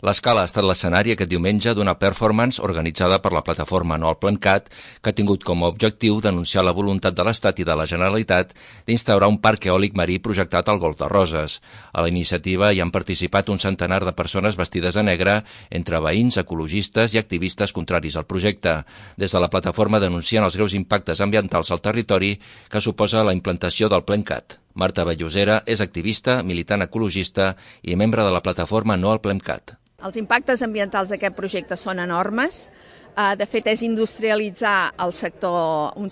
L'Escala ha estat l'escenari aquest diumenge d'una performance organitzada per la plataforma No al PlemCat, que ha tingut com a objectiu denunciar la voluntat de l'Estat i de la Generalitat d'instaurar un parc eòlic marí projectat al Golf de Roses. A la iniciativa hi han participat un centenar de persones vestides de negre, entre veïns, ecologistes i activistes contraris al projecte. Des de la plataforma denuncien els greus impactes ambientals al territori que suposa la implantació del PlemCat. Marta Vallosera és activista, militant ecologista i membre de la plataforma No al PlemCat. Els impactes ambientals d'aquest projecte són enormes. De fet, és industrialitzar un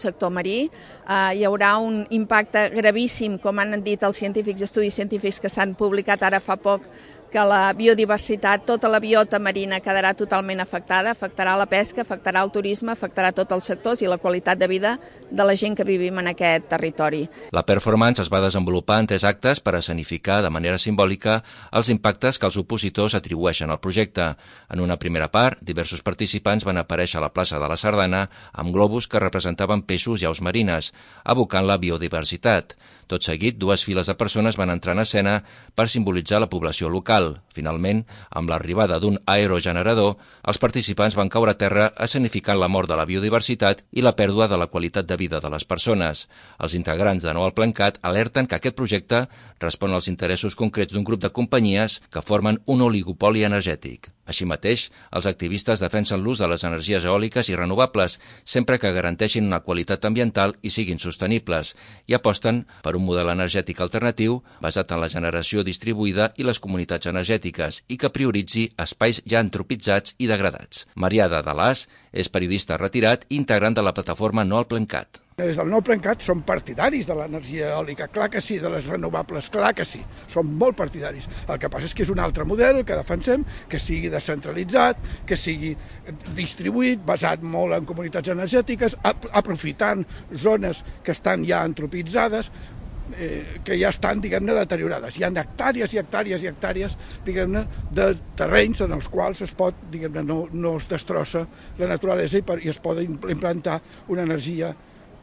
sector marí. Hi haurà un impacte gravíssim, com han dit els científics, estudis científics que s'han publicat ara fa poc, que la biodiversitat, tota la biota marina quedarà totalment afectada, afectarà la pesca, afectarà el turisme, afectarà tots els sectors i la qualitat de vida de la gent que vivim en aquest territori. La performance es va desenvolupar en 3 actes per escenificar de manera simbòlica els impactes que els opositors atribueixen al projecte. En una primera part, diversos participants van aparèixer a la plaça de la Sardana amb globus que representaven peixos i aus marines, evocant la biodiversitat. Tot seguit, 2 files de persones van entrar en escena per simbolitzar la població local. Finalment, amb l'arribada d'un aerogenerador, els participants van caure a terra escenificant la mort de la biodiversitat i la pèrdua de la qualitat de vida de les persones. Els integrants de No al PlemCat alerten que aquest projecte respon als interessos concrets d'un grup de companyies que formen un oligopoli energètic. Així mateix, els activistes defensen l'ús de les energies eòliques i renovables, sempre que garanteixin una qualitat ambiental i siguin sostenibles, i aposten per un model energètic alternatiu basat en la generació distribuïda i les comunitats energètiques i que prioritzi espais ja antropitzats i degradats. Marià de Dalàs és periodista retirat i integrant de la plataforma No al PlemCat. Des del Nou PlemCat som partidaris de l'energia eòlica, clar que sí, de les renovables, clar que sí, som molt partidaris. El que passa és que és un altre model que defensem, que sigui descentralitzat, que sigui distribuït, basat molt en comunitats energètiques, aprofitant zones que estan ja antropitzades, que ja estan, diguem-ne, deteriorades. Hi ha hectàrees i hectàrees i hectàrees, diguem-ne, de terrenys en els quals es pot, diguem-ne, no es destrossa la naturalesa i es pot implantar una energia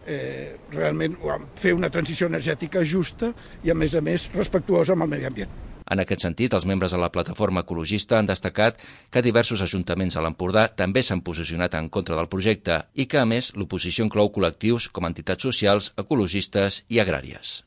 realment fer una transició energètica justa i, a més respectuosa amb el medi ambient. En aquest sentit, els membres de la plataforma ecologista han destacat que diversos ajuntaments a l'Empordà també s'han posicionat en contra del projecte i que, a més, l'oposició inclou col·lectius com entitats socials, ecologistes i agràries.